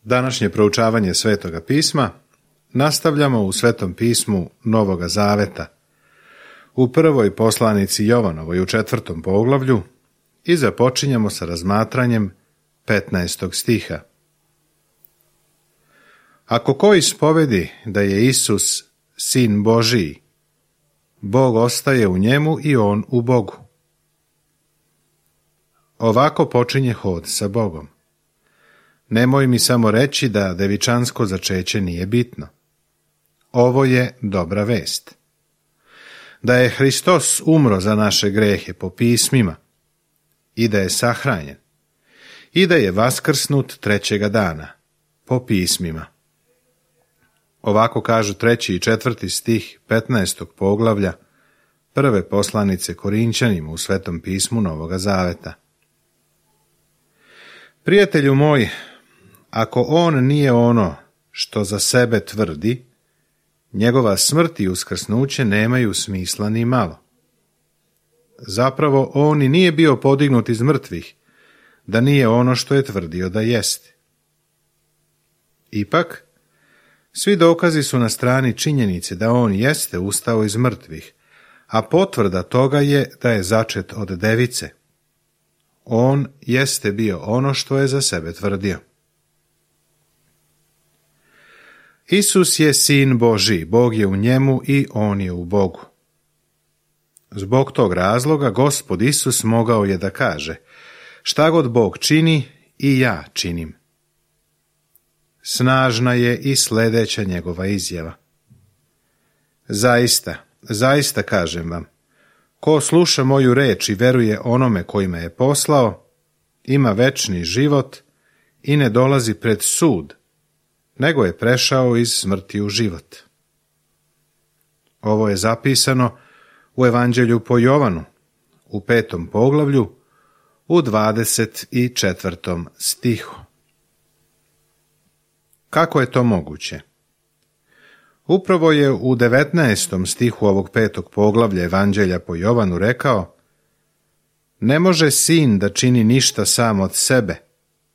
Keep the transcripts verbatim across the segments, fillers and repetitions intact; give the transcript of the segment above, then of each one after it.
Današnje proučavanje Svetoga pisma nastavljamo u Svetom pismu Novoga Zaveta, u prvoj poslanici Jovanovoj u četvrtom poglavlju i započinjemo sa razmatranjem petnaestog stiha. Ako ko ispovedi da je Isus Sin Božiji, Bog ostaje u njemu i on u Bogu. Ovako počinje hod sa Bogom. Nemoj mi samo reći da devičansko začeće nije bitno. Ovo je dobra vest. Da je Hristos umro za naše grehe po pismima i da je sahranjen i da je vaskrsnut trećega dana po pismima. Ovako kažu treći i četvrti stih petnaestog poglavlja prve poslanice Korinćanima u Svetom pismu Novoga Zaveta. Prijatelju moj, ako on nije ono što za sebe tvrdi, njegova smrt i uskrsnuće nemaju smisla ni malo. Zapravo, on i nije bio podignut iz mrtvih, da nije ono što je tvrdio da jeste. Ipak, svi dokazi su na strani činjenice da on jeste ustao iz mrtvih, a potvrda toga je da je začet od device. On jeste bio ono što je za sebe tvrdio. Isus je Sin Božji, Bog je u njemu i on je u Bogu. Zbog tog razloga Gospod Isus mogao je da kaže: šta god Bog čini, i ja činim. Snažna je i sljedeća njegova izjava. Zaista, zaista kažem vam, ko sluša moju reč i veruje onome koji me je poslao, ima večni život i ne dolazi pred sud, nego je prešao iz smrti u život. Ovo je zapisano u Evanđelju po Jovanu, u petom poglavlju, u dvadeset četvrtom stihu. Kako je to moguće? Upravo je u devetnaestom stihu ovog petog poglavlja Evanđelja po Jovanu rekao: ne može sin da čini ništa sam od sebe,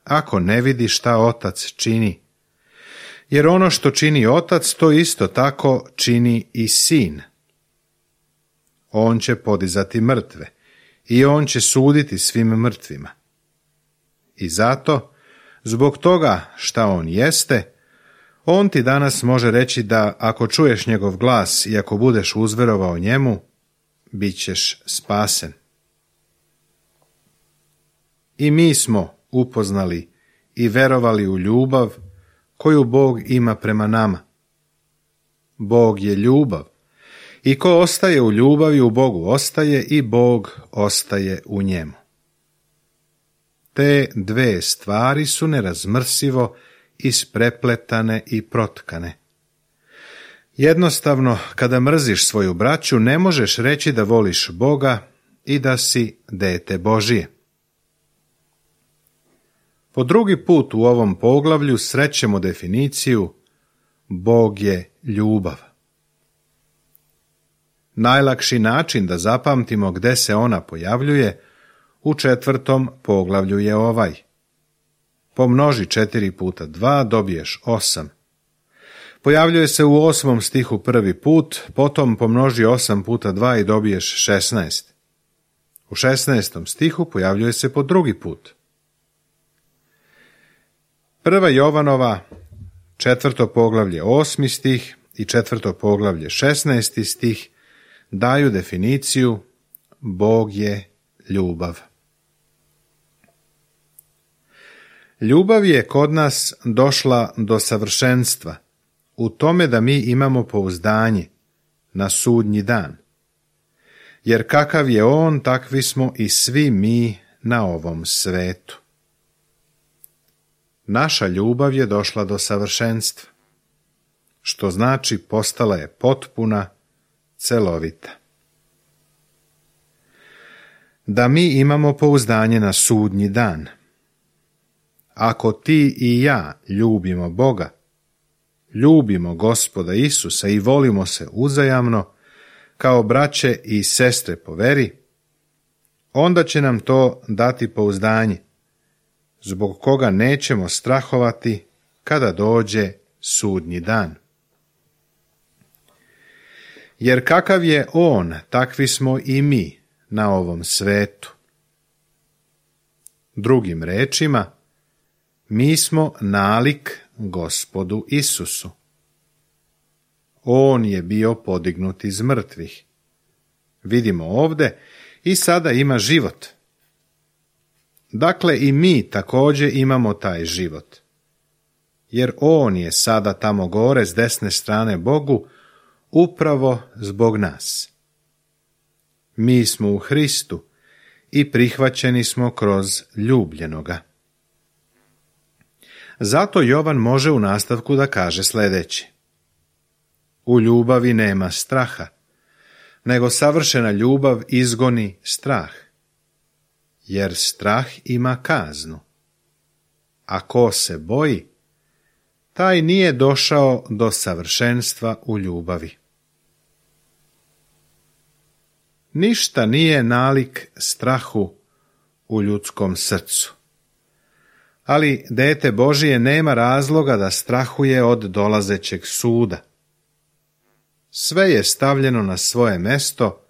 ako ne vidi šta otac čini. Jer ono što čini otac, to isto tako čini i sin. On će podizati mrtve i on će suditi svim mrtvima. I zato, zbog toga šta on jeste, on ti danas može reći da ako čuješ njegov glas i ako budeš uzverovao njemu, bit ćeš spasen. I mi smo upoznali i verovali u ljubav koju Bog ima prema nama. Bog je ljubav i ko ostaje u ljubavi u Bogu ostaje i Bog ostaje u njemu. Te dve stvari su nerazmrsivo isprepletane i protkane. Jednostavno, kada mrziš svoju braću, ne možeš reći da voliš Boga i da si dete Božije. Po drugi put u ovom poglavlju srećemo definiciju Bog je ljubav. Najlakši način da zapamtimo gde se ona pojavljuje u četvrtom poglavlju je ovaj. Pomnoži četiri puta dva, dobiješ osam. Pojavljuje se u osmom stihu prvi put, potom pomnoži osam puta dva i dobiješ šesnaest. U šesnaestom stihu pojavljuje se po drugi put. Prva Jovanova, četvrto poglavlje osmi stih i četvrto poglavlje šesnaesti stih daju definiciju Bog je ljubav. Ljubav je kod nas došla do savršenstva u tome da mi imamo pouzdanje na sudnji dan. Jer kakav je on, takvi smo i svi mi na ovom svetu. Naša ljubav je došla do savršenstva, što znači postala je potpuna, celovita. Da mi imamo pouzdanje na sudnji dan. Ako ti i ja ljubimo Boga, ljubimo Gospoda Isusa i volimo se uzajamno, kao braće i sestre po veri, onda će nam to dati pouzdanje, zbog koga nećemo strahovati kada dođe sudnji dan. Jer kakav je on, takvi smo i mi na ovom svetu. Drugim rečima, mi smo nalik Gospodu Isusu. On je bio podignut iz mrtvih. Vidimo ovde i sada ima život. Dakle, i mi također imamo taj život. Jer on je sada tamo gore s desne strane Bogu upravo zbog nas. Mi smo u Hristu i prihvaćeni smo kroz ljubljenoga. Zato Jovan može u nastavku da kaže sljedeće. U ljubavi nema straha, nego savršena ljubav izgoni strah, jer strah ima kaznu. A ko se boji, taj nije došao do savršenstva u ljubavi. Ništa nije nalik strahu u ljudskom srcu. Ali dete Božije nema razloga da strahuje od dolazećeg suda. Sve je stavljeno na svoje mesto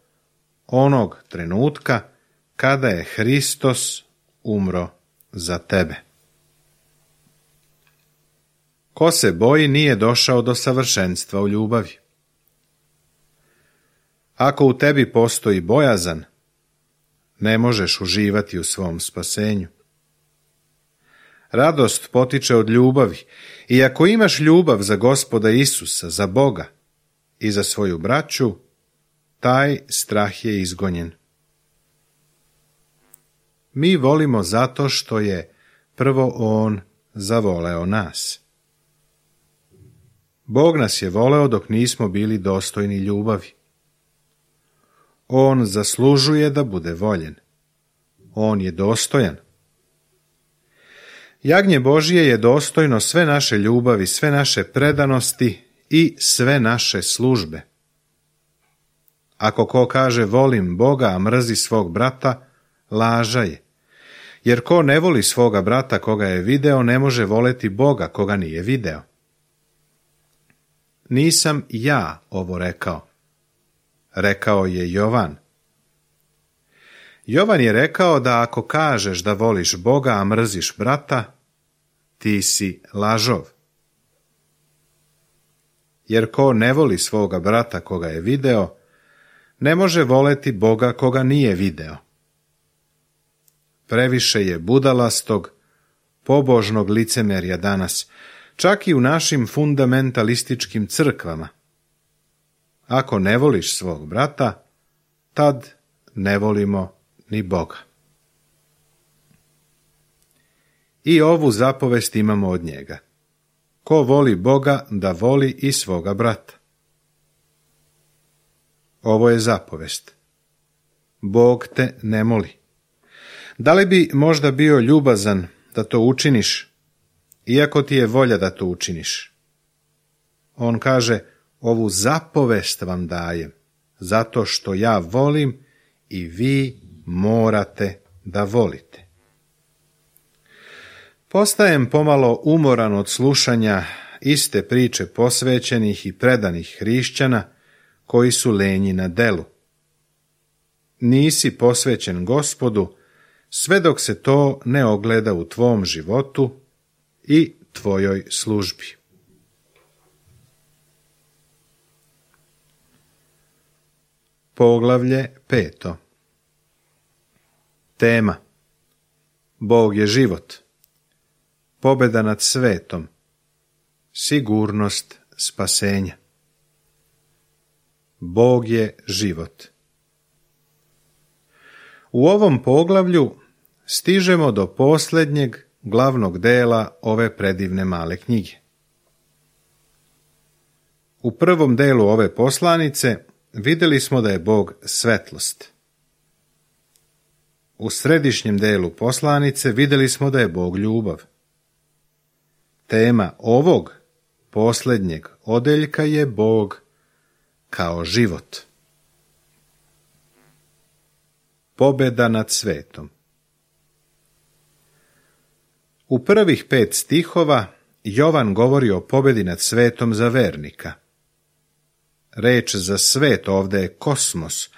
onog trenutka kada je Hristos umro za tebe. Ko se boji nije došao do savršenstva u ljubavi. Ako u tebi postoji bojazan, ne možeš uživati u svom spasenju. Radost potiče od ljubavi i ako imaš ljubav za Gospoda Isusa, za Boga i za svoju braću, taj strah je izgonjen. Mi volimo zato što je prvo On zavoleo nas. Bog nas je voleo dok nismo bili dostojni ljubavi. On zaslužuje da bude voljen. On je dostojan. Jagnje Božije je dostojno sve naše ljubavi, sve naše predanosti i sve naše službe. Ako ko kaže volim Boga, a mrzi svog brata, laža je. Jer ko ne voli svoga brata koga je video, ne može voleti Boga koga nije video. Nisam ja ovo rekao. Rekao je Jovan. Jovan je rekao da ako kažeš da voliš Boga, a mrziš brata, ti si lažov. Jer ko ne voli svoga brata koga je video, ne može voleti Boga koga nije video. Previše je budalastog, pobožnog licemerja danas, čak i u našim fundamentalističkim crkvama. Ako ne voliš svog brata, tad ne volimo ni Boga. I ovu zapovest imamo od njega. Ko voli Boga, da voli i svoga brata. Ovo je zapovest. Bog te ne moli. Da li bi možda bio ljubazan da to učiniš, iako ti je volja da to učiniš? On kaže, ovu zapovest vam dajem, zato što ja volim i vi morate da volite. Postajem pomalo umoran od slušanja iste priče posvećenih i predanih hrišćana koji su lenji na delu. Nisi posvećen Gospodu sve dok se to ne ogleda u tvom životu i tvojoj službi. Poglavlje peto. Tema. Bog je život. Pobjeda nad svetom. Sigurnost spasenja. Bog je život. U ovom poglavlju stižemo do posljednjeg glavnog dela ove predivne male knjige. U prvom delu ove poslanice vidjeli smo da je Bog svetlost. U središnjem delu poslanice vidjeli smo da je Bog ljubav. Tema ovog posljednjeg odeljka je Bog kao život. Pobjeda nad svetom. U prvih pet stihova Jovan govori o pobjedi nad svetom za vernika. Reč za svet ovdje je kosmos,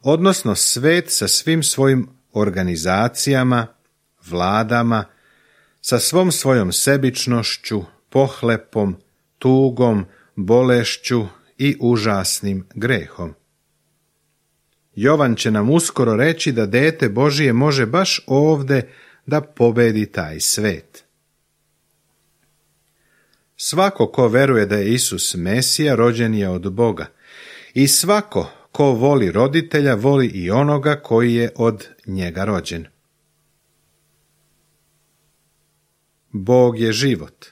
odnosno svet sa svim svojim organizacijama, vladama, sa svom svojom sebičnošću, pohlepom, tugom, bolešću i užasnim grehom. Jovan će nam uskoro reći da dete Božije može baš ovdje da pobedi taj svet. Svako ko veruje da je Isus Mesija, rođen je od Boga. I svako ko voli roditelja, voli i onoga koji je od njega rođen. Bog je život,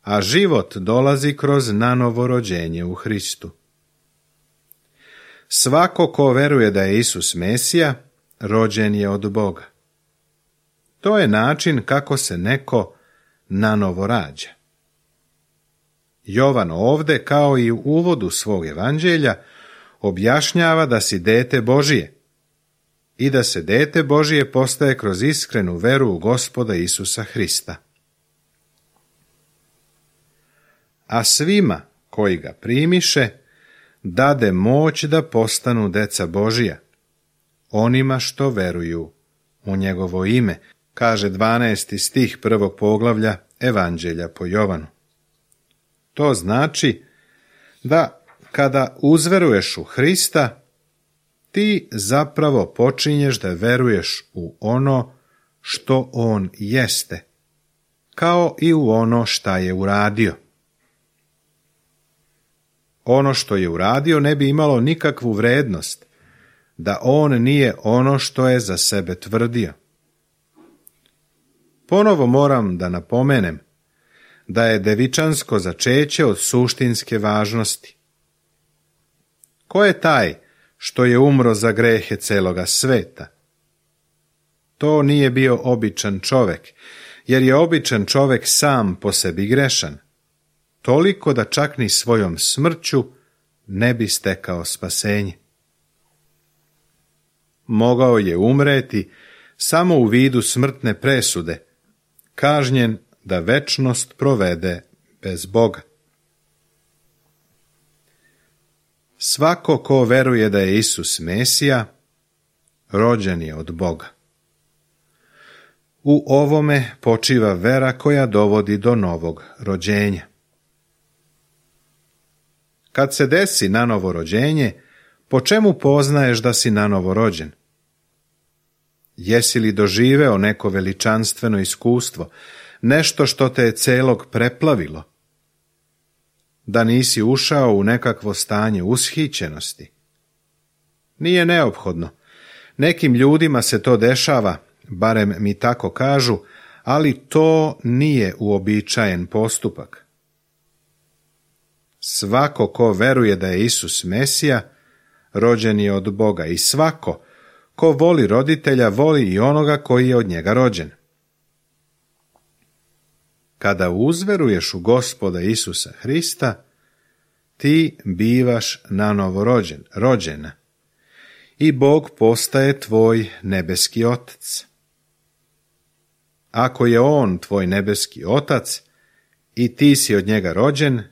a život dolazi kroz nanovo rođenje u Hristu. Svako ko veruje da je Isus Mesija, rođen je od Boga. To je način kako se neko nanovo rađa. Jovan ovdje, kao i u uvodu svog evanđelja, objašnjava da si dete Božije i da se dete Božije postaje kroz iskrenu veru u Gospoda Isusa Hrista. A svima koji ga primiše, dade moć da postanu deca Božija, onima što veruju u njegovo ime, kaže dvanaesti stih prvog poglavlja Evanđelja po Jovanu. To znači da kada uzveruješ u Hrista, ti zapravo počinješ da veruješ u ono što on jeste, kao i u ono šta je uradio. Ono što je uradio ne bi imalo nikakvu vrednost, da on nije ono što je za sebe tvrdio. Ponovo moram da napomenem da je devičansko začeće od suštinske važnosti. Ko je taj što je umro za grehe celoga sveta? To nije bio običan čovek, jer je običan čovek sam po sebi grešan, toliko da čak ni svojom smrću ne bi stekao spasenje. Mogao je umreti samo u vidu smrtne presude, kažnjen da večnost provede bez Boga. Svako ko veruje da je Isus Mesija, rođen je od Boga. U ovome počiva vera koja dovodi do novog rođenja. Kad se desi nanovo rođenje, po čemu poznaješ da si nanovo rođen? Jesi li doživeo neko veličanstveno iskustvo, nešto što te je celog preplavilo? Da nisi ušao u nekakvo stanje ushićenosti? Nije neophodno. Nekim ljudima se to dešava, barem mi tako kažu, ali to nije uobičajen postupak. Svako ko veruje da je Isus Mesija, rođen je od Boga, i svako ko voli roditelja, voli i onoga koji je od njega rođen. Kada uzveruješ u Gospoda Isusa Hrista, ti bivaš nanovo rođen, rođena, i Bog postaje tvoj nebeski otac. Ako je on tvoj nebeski otac i ti si od njega rođen,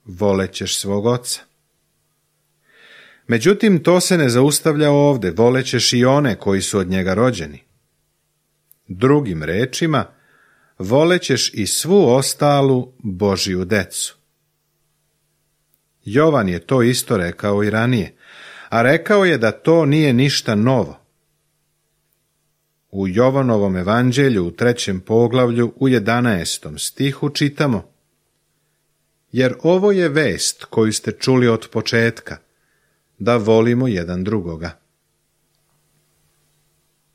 volećeš svog oca. Međutim, to se ne zaustavlja ovdje, volećeš i one koji su od njega rođeni. Drugim rečima, volećeš i svu ostalu Božiju decu. Jovan je to isto rekao i ranije, a rekao je da to nije ništa novo. U Jovanovom evanđelju u trećem poglavlju u jedanaestom stihu čitamo: jer ovo je vest koju ste čuli od početka, da volimo jedan drugoga.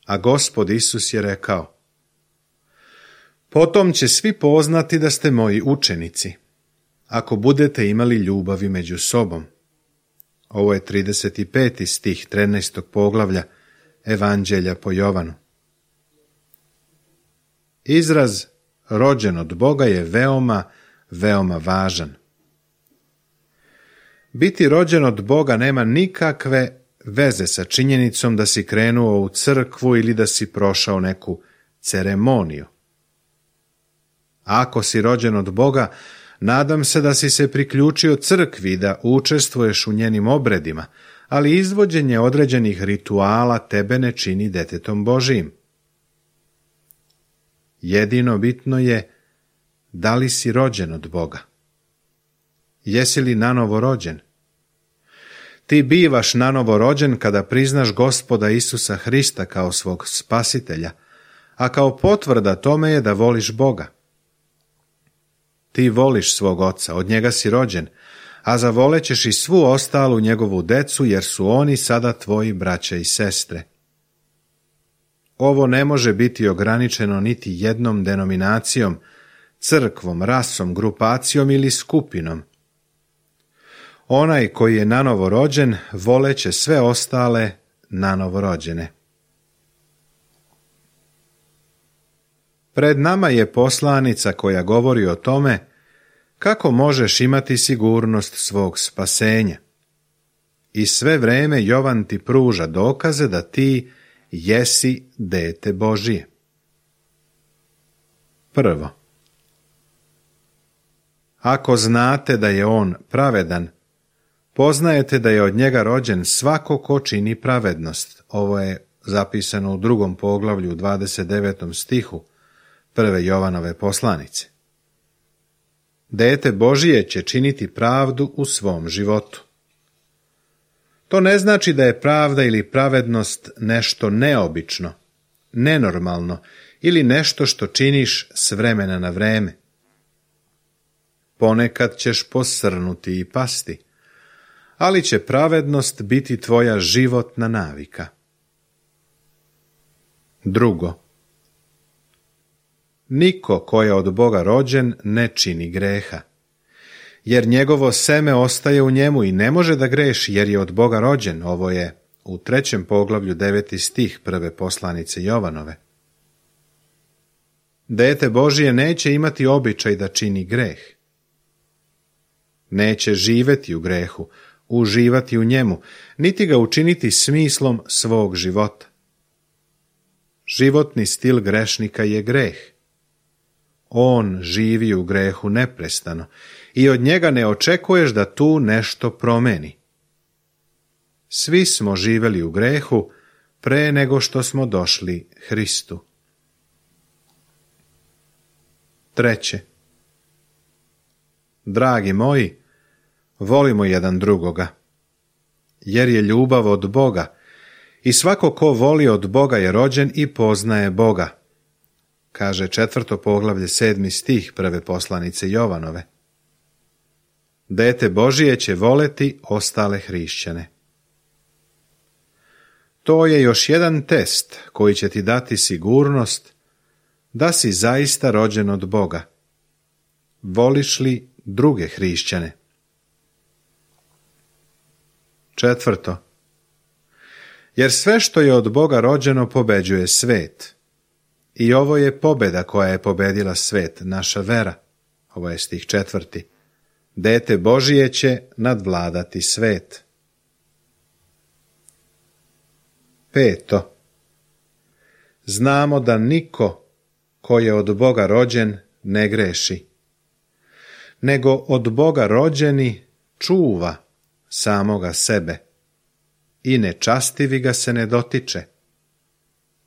A Gospod Isus je rekao: potom će svi poznati da ste moji učenici, ako budete imali ljubavi među sobom. Ovo je trideset peti stih trinaestog poglavlja Evanđelja po Jovanu. Izraz rođen od Boga je veoma, veoma važan. Biti rođen od Boga nema nikakve veze sa činjenicom da si krenuo u crkvu ili da si prošao neku ceremoniju. Ako si rođen od Boga, nadam se da si se priključio crkvi, da učestvuješ u njenim obredima, ali izvođenje određenih rituala tebe ne čini detetom Božijim. Jedino bitno je da li si rođen od Boga. Jesi li nanovo rođen? Ti bivaš nanovo rođen kada priznaš Gospoda Isusa Hrista kao svog spasitelja, a kao potvrda tome je da voliš Boga. Ti voliš svog oca, od njega si rođen, a zavolećeš i svu ostalu njegovu decu, jer su oni sada tvoji braća i sestre. Ovo ne može biti ograničeno niti jednom denominacijom, crkvom, rasom, grupacijom ili skupinom. Onaj koji je nanovo rođen, voleće sve ostale nanovo rođene. Pred nama je poslanica koja govori o tome kako možeš imati sigurnost svog spasenja. I sve vreme Jovan ti pruža dokaze da ti jesi dete Božije. Prvo, ako znate da je on pravedan, poznajete da je od njega rođen svako ko čini pravednost. Ovo je zapisano u drugom poglavlju, dvadeset devetom stihu prve Jovanove poslanice. Dete Božije će činiti pravdu u svom životu. To ne znači da je pravda ili pravednost nešto neobično, nenormalno ili nešto što činiš s vremena na vreme. Ponekad ćeš posrnuti i pasti, ali će pravednost biti tvoja životna navika. Drugo, niko ko je od Boga rođen ne čini greha, jer njegovo seme ostaje u njemu i ne može da greši jer je od Boga rođen. Ovo je u trećem poglavlju deveti stih prve poslanice Jovanove. Dete Božije neće imati običaj da čini greh. Neće živeti u grehu, uživati u njemu, niti ga učiniti smislom svog života. Životni stil grešnika je greh. On živi u grehu neprestano i od njega ne očekuješ da tu nešto promeni. Svi smo živeli u grehu pre nego što smo došli Hristu. Treće, dragi moji, volimo jedan drugoga, jer je ljubav od Boga i svako ko voli od Boga je rođen i poznaje Boga, kaže četvrto poglavlje sedmi stih prve poslanice Jovanove. Dete Božije će voleti ostale hrišćane. To je još jedan test koji će ti dati sigurnost da si zaista rođen od Boga. Voliš li druge hrišćane? Četvrto, jer sve što je od Boga rođeno pobeđuje svet. I ovo je pobjeda koja je pobedila svet, naša vera. Ovo je stih četvrti. Dete Božije će nadvladati svet. Peto, znamo da niko ko je od Boga rođen ne greši, nego od Boga rođeni čuva samoga sebe i nečastivi ga se ne dotiče.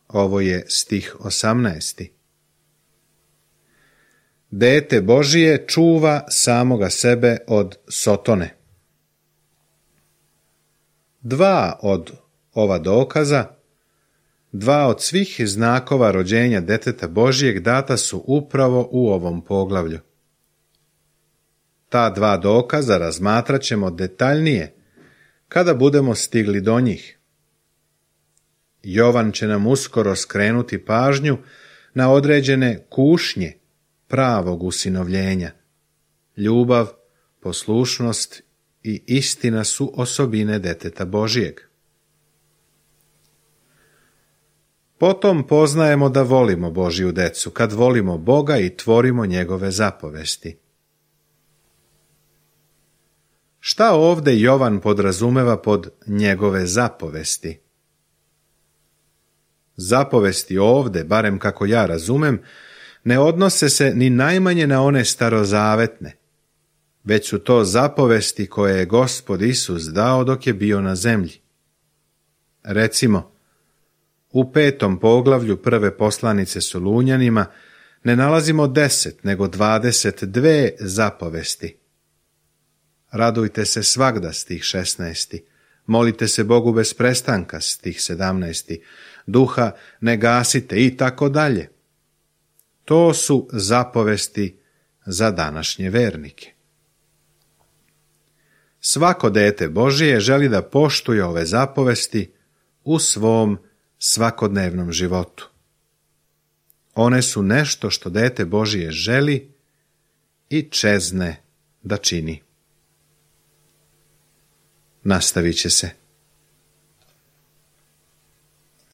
Ovo je stih osamnaesti. Dete Božije čuva samoga sebe od sotone. Dva od ova dokaza, dva od svih znakova rođenja deteta Božijeg data su upravo u ovom poglavlju. Ta dva dokaza razmatrat ćemo detaljnije kada budemo stigli do njih. Jovan će nam uskoro skrenuti pažnju na određene kušnje pravog usinovljenja. Ljubav, poslušnost i istina su osobine deteta Božijeg. Potom poznajemo da volimo Božju decu, kad volimo Boga i tvorimo njegove zapovesti. Šta ovde Jovan podrazumeva pod njegove zapovesti? Zapovesti ovde, barem kako ja razumem, ne odnose se ni najmanje na one starozavetne, već su to zapovesti koje je Gospod Isus dao dok je bio na zemlji. Recimo, u petom poglavlju prve poslanice Solunjanima ne nalazimo deset, nego dvadeset dve zapovesti. Radujte se svagda, stih šesnaesti. Molite se Bogu bez prestanka, stih sedamnaesti. Duha ne gasite i tako dalje. To su zapovesti za današnje vernike. Svako dete Božije želi da poštuje ove zapovesti u svom svakodnevnom životu. One su nešto što dete Božije želi i čezne da čini. Nastavit će se.